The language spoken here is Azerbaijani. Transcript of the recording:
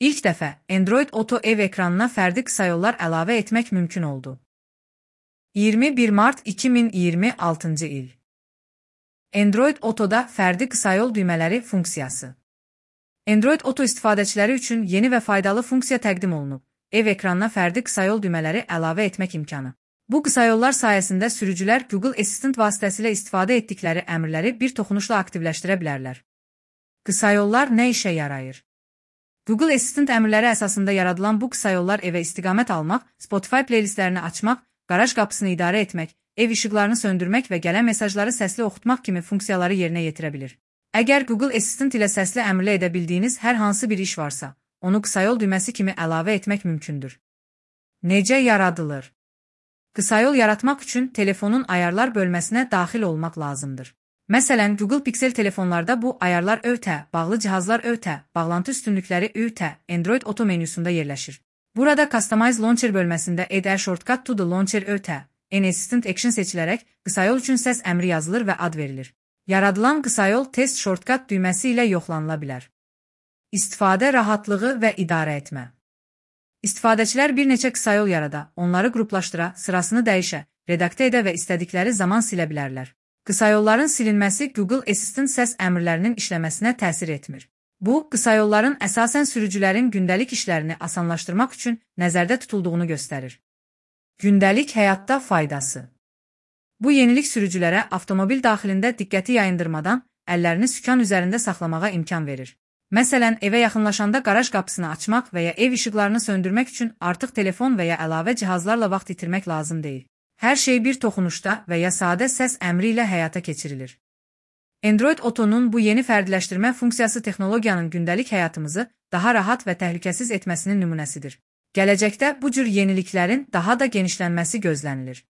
İlk dəfə Android Auto ev ekranına fərdi qısa yollar əlavə etmək mümkün oldu. 21 mart 2026-cı il. Android Auto'da fərdi qısa yol düymələri funksiyası. Android Auto istifadəçiləri üçün yeni və faydalı funksiya təqdim olunub. Ev ekranına fərdi qısa yol düymələri əlavə etmək imkanı. Bu qısa yollar sayəsində sürücülər Google Assistant vasitəsilə istifadə etdikləri əmrləri bir toxunuşla aktivləşdirə bilərlər. Qısa yollar nə işə yarayır? Google Assistant əmrləri əsasında yaradılan bu qısa yollar evə istiqamət almaq, Spotify playlistlərini açmaq, qaraj qapısını idarə etmək, ev işıqlarını söndürmək və gələn mesajları səsli oxutmaq kimi funksiyaları yerinə yetirə bilir. Əgər Google Assistant ilə səsli əmrlə edə bildiyiniz hər hansı bir iş varsa, onu qısa yol düyməsi kimi əlavə etmək mümkündür. Necə yaradılır? Qısa yol yaratmaq üçün telefonun ayarlar bölməsinə daxil olmaq lazımdır. Məsələn, Google Pixel telefonlarda bu ayarlar ÖTə, bağlı cihazlar ÖTə, bağlantı üstünlükləri ÜTə, Android Auto menüsündə yerləşir. Burada Customize Launcher bölməsində Add a Shortcut to the Launcher ÖTə, Assistant Action seçilərək qısa yol üçün səs əmri yazılır və ad verilir. Yaradılan qısa yol Test Shortcut düyməsi ilə yoxlanıla bilər. İstifadə rahatlığı və idarə etmə. İstifadəçilər bir neçə qısa yol yarada, onları qruplaşdıra, sırasını dəyişə, redaktə edə və istədikləri zaman silə bilərlər. Qısa yolların silinməsi Google Assistant səs əmrlərinin işləməsinə təsir etmir. Bu, qısa yolların əsasən sürücülərin gündəlik işlərini asanlaşdırmaq üçün nəzərdə tutulduğunu göstərir. Gündəlik həyatda faydası. Bu yenilik sürücülərə avtomobil daxilində diqqəti yayındırmadan əllərini sükan üzərində saxlamağa imkan verir. Məsələn, evə yaxınlaşanda qaraj qapısını açmaq və ya ev işıqlarını söndürmək üçün artıq telefon və ya əlavə cihazlarla vaxt itirmək lazım deyil. Hər şey bir toxunuşda və ya sadə səs əmri ilə həyata keçirilir. Android Auto'nun bu yeni fərdiləşdirmə funksiyası texnologiyanın gündəlik həyatımızı daha rahat və təhlükəsiz etməsinin nümunəsidir. Gələcəkdə bu cür yeniliklərin daha da genişlənməsi gözlənilir.